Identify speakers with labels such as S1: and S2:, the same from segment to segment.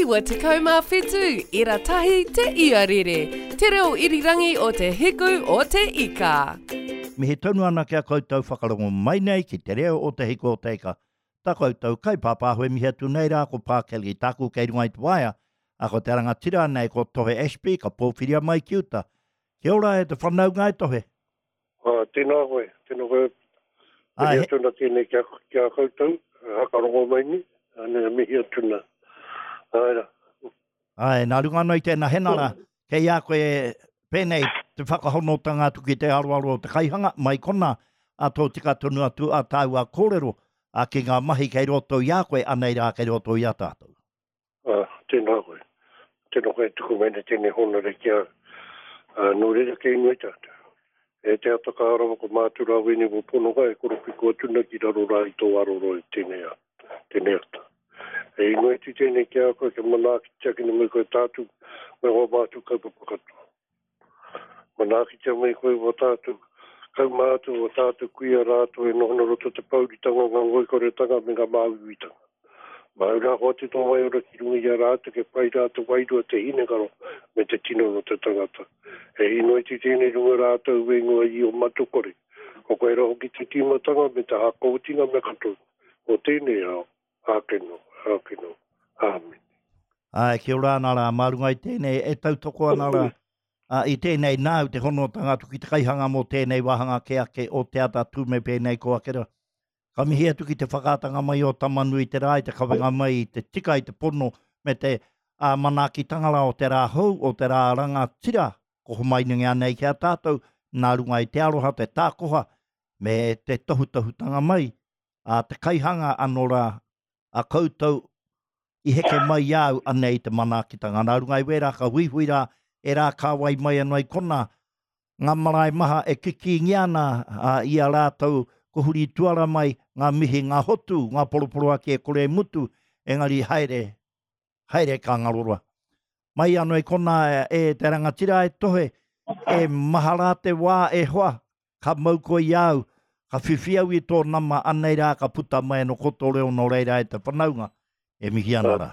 S1: 97 ira tahi te iarere, te reo irirangi o te hiku o te ika.
S2: Mihi tonu ana ki a koutou whakarongo mai nei ki te reo o te hiku o te ika. Ta koutou kaipāpāho e mihi atu nei rā ko Pā Kelly tāku kei runga i te waea, a ko te rangatira nei ko Tohe Ashby ka pōwhiria mai ki uta. Kia ora e te whanaunga e Tohe.
S3: Ā, tēnā koe, tēnā koe. Mihi atu ana tēnei ki a, ki a koutou, hakarongo mai nei, anei, mihi atu ana. Āe rā.
S2: Āe, nā runga anō i tēnā henara, kei a koe pēnei te whakahonotanga atu ki te aroaro o te kaihanga, mai konā, ā tōtika tonu atu ā tāua kōrero, ā, ki ngā mahi kei roto i a koe, anei rā kei roto i a tātou.
S3: Ā, tēnā koe. Tēnā koe e tuku mai nei tēnei hōnore ki a, ā, nō reira kei inoi tātou. E te ata kaha rawa ko Mātu Rāwene wō pononga e koropiko atu nei ki raro rā i tō aroro i tēnei, tēnei ata. E inoi atu tēnei ki a koe kia manaakitia kina mai koe tātou me wā mātou kaupapa katoa. Manaakitia mai koe wā tātou kaumātua, wā tātou kuia rātou e noho ana roto te pouritanga, ngā ngoikoretanga me ngā māuiuitanga. Māu rā hoatu tō waiora ki runga i a rātou kia pai rā te wairua, te hinengaro me te tinana o te tangata. E īnoiti tēnei runga rātou e ingoa i o Matukore. Ko koe rā hoki te tīmatanga me te hākōtinga mea katoa o tēnei ao. Āke nō, āke nō. Āmine.
S2: Āe, kia ora ana rā, mā runga i tēnei e tautoko ana rā, ā, i tēnei nāu te honotanga atu ki te kaihanga mō tēnei wāhanga kē ake o Te Ata Tū me pēnei ko ake rā. Ka mihi atu ki te whakaatanga mai o Tamanui te rā i te kawenga mai i te tika i te pono me te ā, manaakitanga rā o te rā hou, o te rā rangatira, ko homainungia nei ki a tātou, nā runga i te aroha, te tākoha, me te tohutohutanga mai a te kaihanga ano ra a koutou i heke mai i a au anei te manaakitanga. Nā runga i wērā ka huihui rā ērā kāwai mai anō i konā, ngā marae maha e kikīngia ana i a rātou ko huri tuara mai ngā mihi, ngā hotu, ngā poroporoaki e kore e mutu, engari haere, haere ka ngaro roa. Mai anō i konā e te rangatira e tohe, e maha rā te wā e hoa, ka mau koe i a au, ka whiwhi au i tō nama, anei rā ka puta mai anō ko tō reo nō reira e te whanaunga, e mihi ana rā.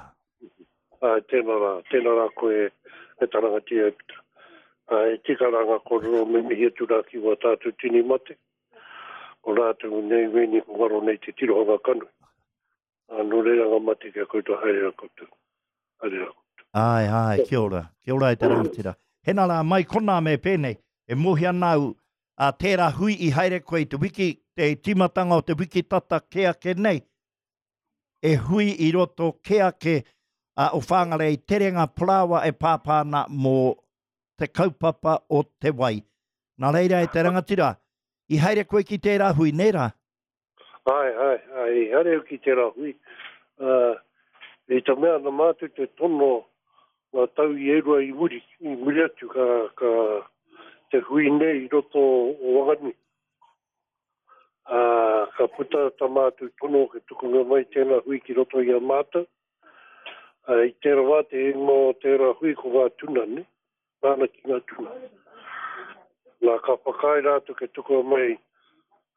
S3: Āe, tēnā rā, tēnā rā koe e ta rangatira e puta. Āe, e tika rā ngā kōrero me mihi atu rā ki wā tātou tini mate, ko rātou nei wēnei ko ngaro nei te tirohanga kanohi. Ā, nō reira ngā mate ki a koutou, haere rā koutou. Haere rā
S2: koutou. Āe, āe, kia ora. Kia ora e te rangatira. Hena rā, mai konā me pēnei, e mōhio ana au, ā, tērā hui i haere koe i te wiki, te tīmatanga o te wiki tata kē ake nei, e hui i roto kē ake ā, o Whangarei terenga parāoa e pāpā ana mō te kaupapa o te wai. Nā reira e te rangatira, i haere koe ki tērā hui, nē rā?
S3: Āe, āe, āe, i haere au ki tērā hui. Ā, i te mea nā mātou te tono ngā tau i e rua i muri, i muri atu ka, ka te hui nei i roto o Wanganui. Ā, ka puta tā mātou tono ke tukunga mai tēnā hui ki roto i a mātou. Ā, i tērā wā te ingoa o tērā hui ko ngā tuna, ne? Nāna ki ngā tuna. Nā, ka whakaae rātou kia tukua mai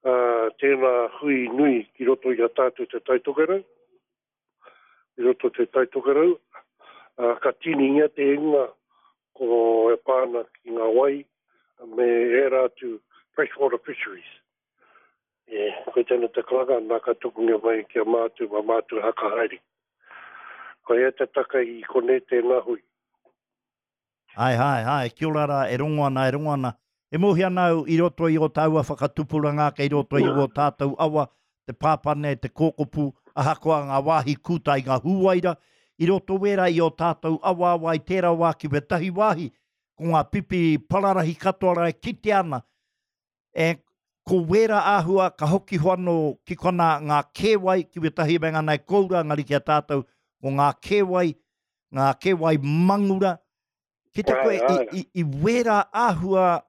S3: ā, tēnā hui nui ki roto i a tātou Te Tai Tokerau, i roto Te Tai Tokerau, ā, ka tīningia te ingoa ko e pā ana ki ngā wai me ērā atu freshwater fisheries. E, koe tēnā te karanga, nā ka tukungia mai ki a mātou, mā mātou haka haere. Koia te taka i konei tēnā hui.
S2: Ae, ae, ae, kia ora rā, e rongo ana, e rongo ana. E mōhio ana au i roto i ō tāua whakatupuranga ake, i roto i ō tātou awa, te pāpane, te kōkopu, ahakoa ngā wāhi kūta i ngā hūwaira, i roto wērā i ō tātou awaawa i tērā wā ki wētahi wāhi, ko ngā pipi pararahi katoa rā e kitea ana, E, ko wērā āhua ka hoki ho anō ki konā ngā kēwai, ki wētahi me ngā nai koura, engari ki a tātou, ko ngā kēwai, ngā kēwai mangura, ki te koe i, i, i wērā āhua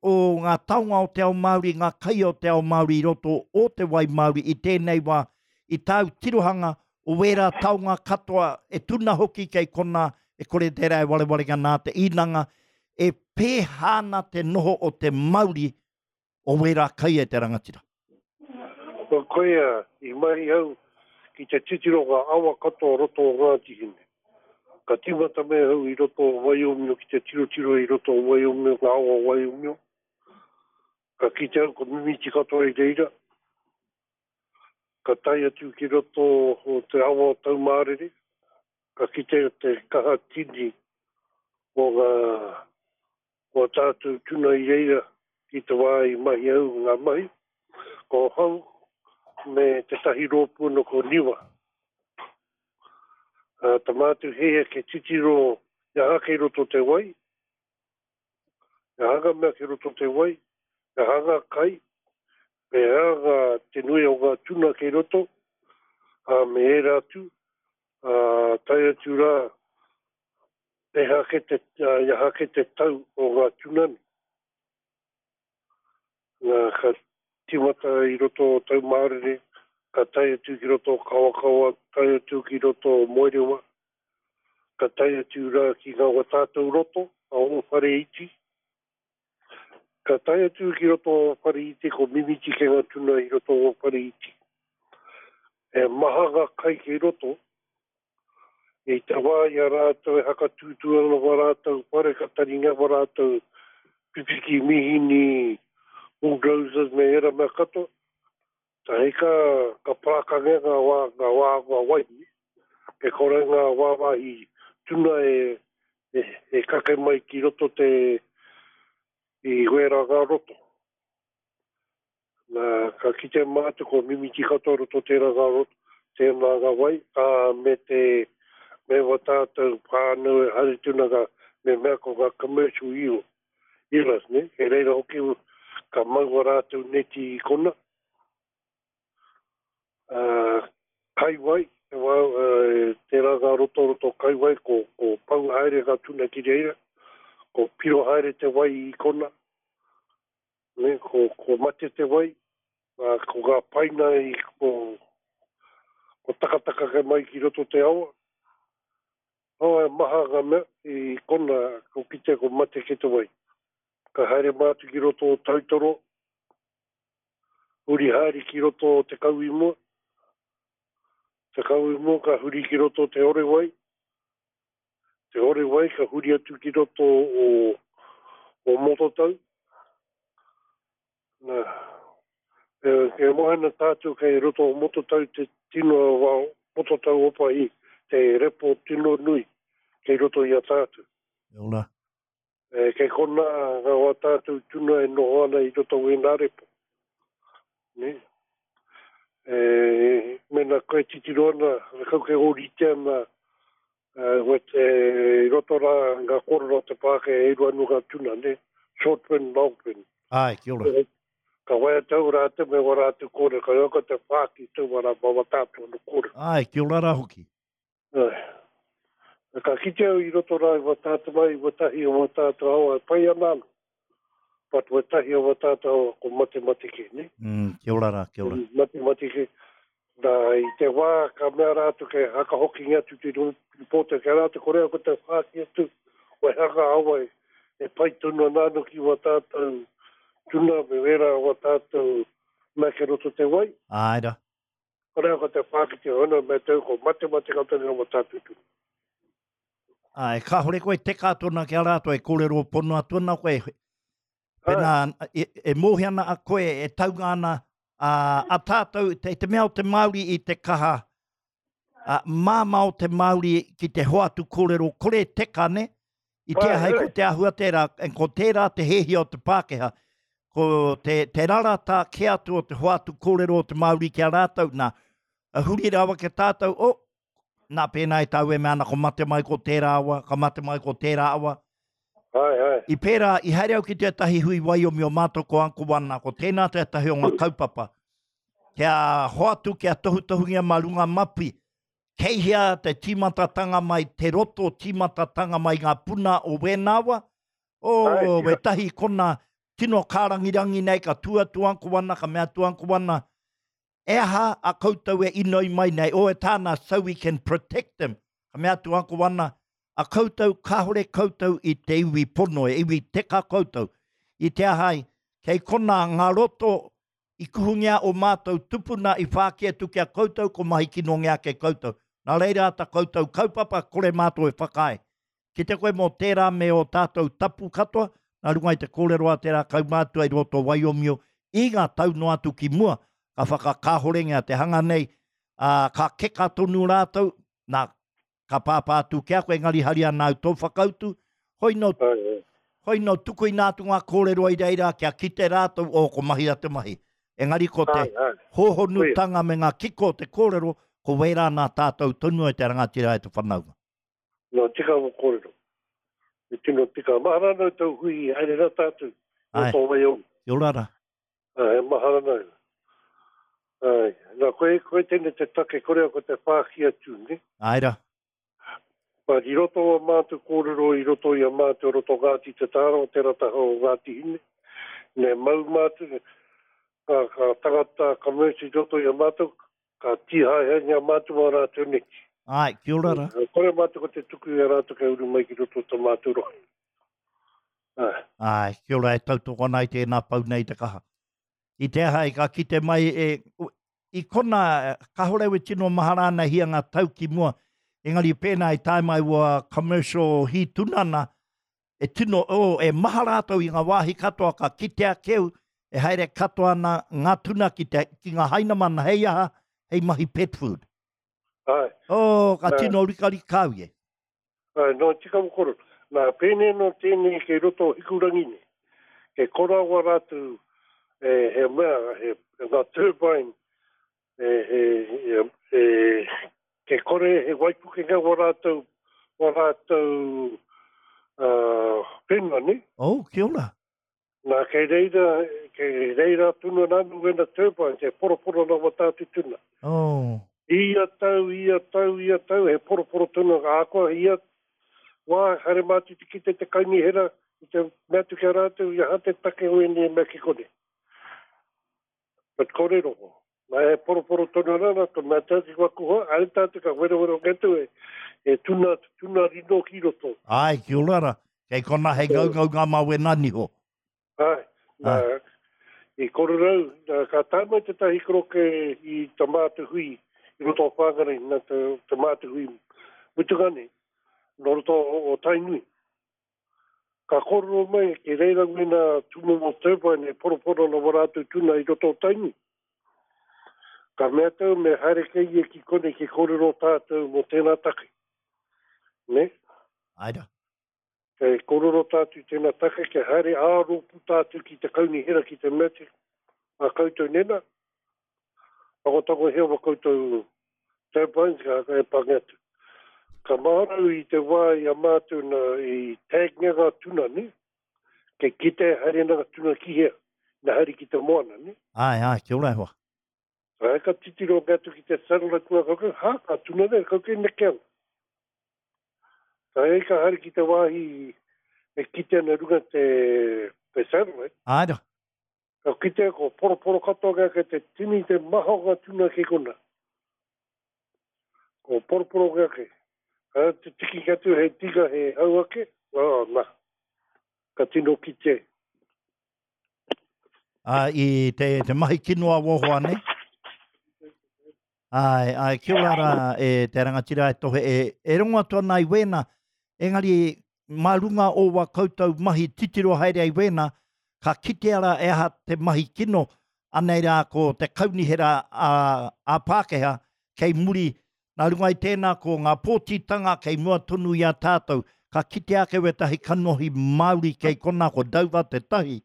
S2: o ngā taonga o te ao Māori, ngā kai o te ao Māori i roto o te wai Māori i tēnei wā, i tāu tirohanga o wērā taonga katoa e tuna hoki kei konā, e kore tērā e warewarenga nā te īnanga, e pēhā ana te noho o te mauri o wērā kai e te rangatira?
S3: Ko koia i mahi au ki te titiro ngā awa katoa o roto o Ngāti Hine. Ka tīmata mai ahau i roto o Waiomio ki te tirotiro i roto o Waiomio, ngā awa o Waiomio. Ka kite au ko mimiti katoa i reira. Ka tae atu ki roto o te awa o Taumārere, ka kite te kaha tini o ngā o ā tātou tuna i reira i te wā i mahi au ngā mahi. Ko hau me tētahi rōpū anō ko Niwa. Ā, ta mātou heia ke titiro i aha kei roto te wai, He aha ngā mea kei roto te wai, he aha ngā kai, me he aha ngā, te nui o ngā tuna kei roto, ā, me ērā atu, ā, tae atu rā, he aha kē te, ā, i aha kē te tau o ngā tuna nei. Nā, ka tīmata i roto o Taumārere, ka tae atu ki roto o Kawakawa, tae atu ki roto o Moerewa, ka tae atu rā ki ngā wa tātou roto, a ō whare iti. Ka tae atu ki roto o whare iti, ko Mimiti kei ngā tuna i roto o whare iti. E maha ngā kai kei roto, I te wā i a rātou e hakatūtū ana wā rātou whare ka taringa wā rātou pipiki mihini, bulldozers me ērā mea katoa. Tahi ka, ka parākangia ngā wā, ngā wā, ngā waihi. E kore ngā wāwāhi tuna e, e, e kake mai ki roto te, i wērā ngā roto. Nā, ka kite mātou kua mimiti katoa roto tērā ngā roto, tēnā ngā wai, ā, me te, me wā tātou whānau e haere tuna ngā, me mea ko ngā commercial eel, eelers, ne? Kei reira hoki ka mau wā rātou neti i kona. Ā, kai wai, te wā, tērā ngā roto roto kai wai, ko, ko pau haere ngā tuna ki reira, ko piro haere te wai i kona, Ne, ko, ko mate te wai, ā, ko ngā paina i, ko, ko takataka ke mai ki roto te awa. Oh, e maha ngā mea i kona, ko kite ko mate ke te wai. Ka haere mātou ki roto o Tautoro, huri haere ki roto o Te Kauimua. Te Kauimua ka huri ki roto o Te Orewai. Te Orewai ka huri atu ki roto o, o Mototau. Nā, e, e moe ana tātou kei roto o Mototau te tino wā Mototau Opahi, te repo tino nui kei roto i a tātou.
S2: E ora.
S3: E, kei konā ngā wā tātou tuna e noho ana i roto o ēnā repo. Ne? E, mena koe titiro ana, kau kei ōrite ana, e, wet, e, i roto rā ngā kōrero o te Pākehā e rua anō ngā tuna, ne? Short fin, long fin.
S2: Āe, kia ora.
S3: Ka waiata au rātou me wā rātou kōrero, ka ioka te whāki taua rā mā wā tātou anō kōrero.
S2: Āe, kia ora rā hoki.
S3: Āe. Ka kite au i roto rā i wā tātou mai, i wētahi o wā tātou awa e pai ana anō. But wētahi o wā tātou awa ko matemate kē, nē?
S2: Mm, kia ora rā, kia ora.
S3: Matemate kē. Nā, i te wā ka mea rātou kei hakahokingia atu te rīpōta ki a rātou, ko rea ko te whāki atu, wai hanga awa e, e pai tonu ana anō ki wā tātou tuna me wērā o wā tātou mea kei roto te wai.
S2: Āe rā.
S3: Kore ko te pākete hono me tau ko matemate ka tonu mo tātou tunu.
S2: Āe, kāhore koe teka atu ana ki a rātou e kōrero pono atu ana koe. Pēnā, e, e mōhio ana a koe, e taunga ana a, a tātou, te, te mea o te Māori i te kaha, a, māmā o te Māori ki te hoatu kōrero kore teka, ne? I te ahai ko te ahua tērā, ko tērā te hēhia o te Pākehā, ko te, te rarata kē atu o te hoatu kōrero o te Māori ki a rātou, nā, huri rawa ki a tātou, oh, nā, pēnā i tāu e mea ana ko mate mai ko tērā awa, ka mate mai ko tērā awa.
S3: Ai, ai.
S2: I pērā, i haere au ki tētahi hui waiomio mātou ko Uncle Wana, ko tēnā tētahi o ngā kaupapa, kia hoatu, kia tohutohungia mā runga mapi, Kei hea te tīmatatanga mai, te roto tīmatatanga mai ngā puna o wēnā wa? Oh, wētahi kona tino kārangirangi nei, ka tū atu Uncle Wana, ka mea atu Uncle Wana, e aha a koutou e inoi mai nei, oh e tāna, so we can protect them. Ka mea atu Uncle Wana, a koutou, kāore koutou i te iwi pono, e iwi teka koutou. I te aha ai, kei kona ngā roto I kuhungia o mātou tupuna i whāki atu ki a koutou ko mahi kinongia ake koutou. Nā reira ta koutou kaupapa, kore mātou e whakaae. Kite koe mō tērā me ō tātou tapu katoa, nā runga i te kōrero a tērā kaumātua i roto o Waiomio i ngā tau noa atu ki mua, ka whakakāhorengia te hanga nei, ā, ka keka tonu rātou, nā, ka pāpā atu ki a koe, engari hari ana au tō whakautu, hoi nō, hoi nō tukuina atu ngā kōrero i reira kia kite rātou, oh, ko mahia te mahi. Engari ko te hōhonutanga me ngā kiko o te kōrero, ko wērā nā tātou tonu e te rangatira e te whanaunga.
S3: Nō tika mo kōrero. E tino tika. Mahara nau tau hui i haere ra tātou. Ai. Tō wai au.
S2: Kia ora ra.
S3: Ai, e mahara nau. Ai. Nā, koe, koe tēnei te take kore au ko te whāki atu, ne?
S2: Ai ra.
S3: But i roto o mātou kōrero, i roto i a mātou roto Ngāti Te Tāra o te rataha o Ngāti Hine, ne mau mātou, ka, ka tangata, ka mercy i roto i a mātou, Ka tīhaehaengia mātou mā rātou neki.
S2: Āe, kia ora rā.
S3: Kore mātou ko te tuku i a rātou kia uru mai ki roto o tā mātou rohe.
S2: Āe. Āe, kia ora e tautoko ana i tēnā pau nei te kaha. I te aha i ka kite mai e, i kona, kahore au e tino mahara ana hia ngā tau ki mua, engari pēnā i tae mai ua commercial hī tuna ana, E tino, oh, e maha rātou i ngā wāhi katoa ka kitea keu e haere katoa ana ngā tuna ki, te, ki ngā hainamana hei aha, hei mahi pet food.
S3: Ai.
S2: Oh, ka nā, tino rikarika au e.
S3: Ai, no tika mo koro. Nā, pēnei no tēnei kei roto o Hikurangi nei. Kei korawa rātou e, he mea, he, ngā turbine e, e, e, e, ke kore he waipukenga wa rātou, wa rātou uh, whenua, ne?
S2: Oh, kia ora.
S3: Nā, kei reira, kei reira tunu ana anu wena turbines, e poroporo ana wa tātou tuna.
S2: Oh.
S3: Ia tau, ia tau, ia tau, he poroporo tuna, ahakoa ia wā, haere mātou te kite te kaunihera, i te mea atu ki a rātou, i aha te take o ēnei mea ki konei. But kore roho. Na e poroporo tonu ana na to mea tau ki waku hoa, aere tātou ka werowero ke atu e, e tuna, tuna rino ki roto.
S2: Ai, ki ora ra. Kei kona hei ngaungau ngā mawe nā niho.
S3: Ai, nā, i kororau, nā, ka tae mai tētahi koroke i ta mātou hui i roto o Whangarei, nā ta, ta mātou hui mutunga nei, nō roto o, o Tainui. Ka kōrero mai ki reira wēnā tūmomo turbine e poroporo ana wā rātou tuna i roto o Tainui. Ka mea tau me haere kei ia ki konei ki kōrero tātou mō tēnā take. Nē?
S2: Āe rā.
S3: Kei kōrero tātou i tēnā take kia haere ā-rōpū tātou ki te kaunihera ki te mea atu a koutou nēnā, Tangotangohia wa koutou turbines ka e pange atu. Ka mahara au i te wā i a mātou na i tagngia ngā tuna, ne? Kei kite e haere ana ngā tuna ki hea, ina haere ki te moana, ne?
S2: Āe, āe, kia ora e hoa.
S3: Āe, ka titiro ake atu ki te satellite ngā koukou, hā, ka tuna nei, koukou e neke ana. Ka hei ka haere ki te wāhi e kite ana runga te, te satellite.
S2: Āe ra.
S3: Ka kitea ko poroporo katoa kea kei te tini te maha o nga tuna kei kona. Ko poroporo kea kei. Ka te tiki ki atu he tika he hau ake, oh, na. Ka tino kite.
S2: A, i te, te mahi kino a wohoa nei. Āe, āe, kia ora rā e te rangatira e tohe e, e rongo atu ana i wēnā, engari mā runga o wā koutou mahi titiro haere ai wēnā, ka kitea rā e aha te mahi kino, anei rā ko te kaunihera a, a Pākehā kei muri, nā runga i tēnā ko ngā pōtitanga kei mua tonu i a tātou, ka kitea ake wētahi kanohi Māori kei konā ko Dover tētahi,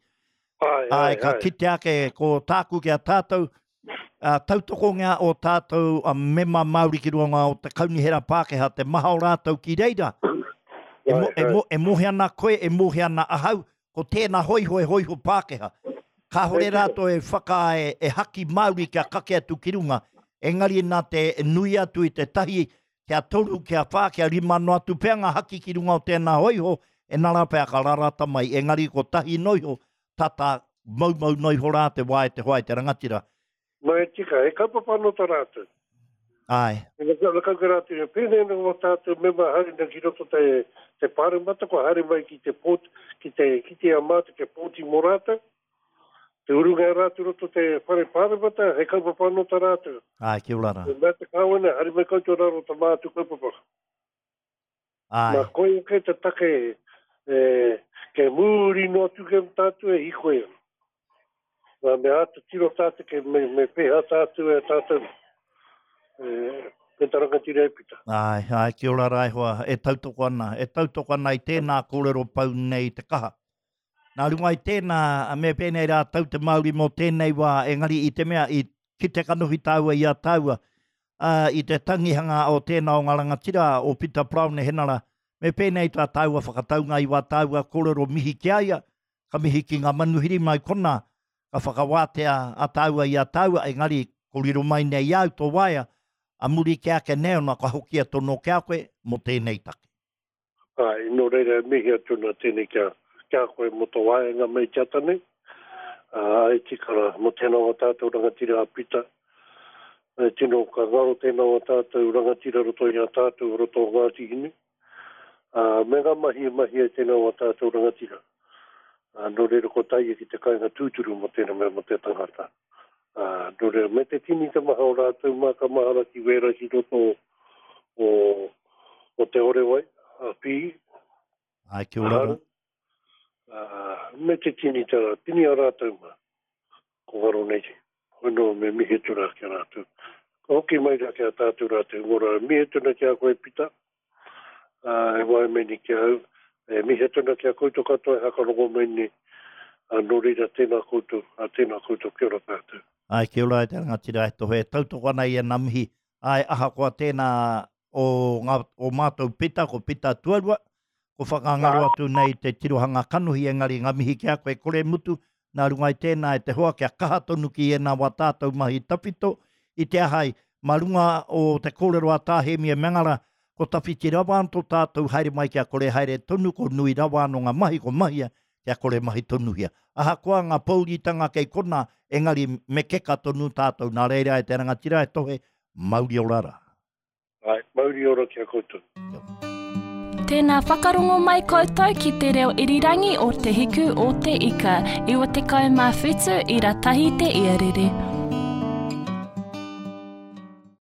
S3: Āe, āe,
S2: ka kitea ake ko tāku ki a tātou, ā, tautokongia ō tātou mema Māori ki runga o te Kaunihera Pākehā, te maha o rātou ki reira. E, mo, e, mo, e mohe ana koe, e mohe ana ahau, ko tēnā hoiho e hoiho Pākehā. Kāhore rātou e whakaae, e haki Māori kia kake atu ki runga, engari nā te nui atu i te tahi, kia toru, kia whā, kia rima noa atu pea ngā haki ki runga o tēnā hoiho, e nara pea ka rarata mai, engari ko tahi noiho, tata moumou noa iho rā te wā e te hoa e te rangatira.
S3: Nā e tika, he kaupapa anō tā rātou.
S2: Āe.
S3: E ngakau ki rātou, e pēnei ana wā tātou mema haere nei ki roto te, te pāremata, kua haere mai ki te pōti, ki te kite a mātou kia pōti mō rātou. Te urunga e rātou roto te whare pāremata, he kaupapa anō tā rātou.
S2: Āe, kia ora rā.
S3: Me mea te kāwana, haere mai koutou rā roto mātou kaupapa.
S2: Āe.
S3: Nā koia kei te take e, kei mūri noa atu kei tātou e hikoi ana. Nā, me āta tiro tātou kei me, me pēhea tātou e tātou e, me ta rangatira e pita.
S2: Āe, āe, kia ora rā e hoa, e tautoko ana, e tautoko ana i tēnā kōrero pau nei te kaha. Nā runga i tēnā, me pēnei rā tau te Māori mō tēnei wā, engari i te mea i kite kanohi tāua i a tāua, ā, i te tangihanga o tēnā o ngā rangatira, o Pita Paraone Henara, me pēnei tā tāua whakataunga i wā tāua kōrero mihi ki a ia, ka mihi ki ngā manuhiri mai konā, ka whakawātea a tāua i a tāua, engari ko riro mai nei i a au tō waea, a muri kē ake nei ona ka hokia tono ki a koe mō tēnei take.
S3: Āe, nō reira e mihi atu ana tēnei kia, ki a koe mō tō waenga mai te ata nei. Ā, e tika rā, mō tēnā o tātou rangatira a Pita, e tino ka ngaro tēnā o tātou rangatira roto i a tātou roto o Ngāti Hine, ā, me ngā mahi e mahia e tēnā o tātou rangatira. Ā, nō reira ko taia ki te kāinga tūturu mō tēnā mea mō te tangata. Ā, nō reira, me te tini te maha o rātou mā ka mahara ki wērā ki roto o, o Te Orewai, a Pī,
S2: Āe, kia ora rā.
S3: Ā, me te tini te rā, tini a rātou mā, ko ngaro nei, hoi nō me mihi atu rā ki a rātou. Ka hoki mai rā ki a tātou rātou, ngora, mihi atu ana ki a koe Pita, ā, e wae mai nei ki ahau, e mihi atu ana ki a koutou katoa e hakarongo mai nei, ā, nō reira, tēnā koutou, ā, tēnā koutou, kia ora tātou.
S2: Āe, kia ora e te rangatira e tohe, e tautoko ana i ēnā mihi, āe, ahakoa tēnā o ngā, o mātou Pita, ko Pita tuarua, ko whakangaro atu nei te tirohanga kanohi, engari ngā mihi ki a koe, kore mutu, Nā runga i tēnā e te hoa kia kaha tonu ki ēnā wā tātou mahi tawhito i te aha ai, mā runga o te kōrero a Tā Hēmi e Mangara, ko tawhiti rawa anō tō tātou haere mai kia kore haere tonu, ko nui rawa anō ngā mahi ko mahia kia kore mahi tonuhia. Ahakoa ngā pōuritanga kei konā, engari me keka tonu tātou, nā reira e te rangatira e tohe, mauri ora rā.
S3: Āe, mauri ora ki a koutou.
S2: Kia ora.
S4: Tēnā whakarongo mai koutou ki te reo irirangi o Te Hiku o Te Ika, 97 ira tahi te iarere.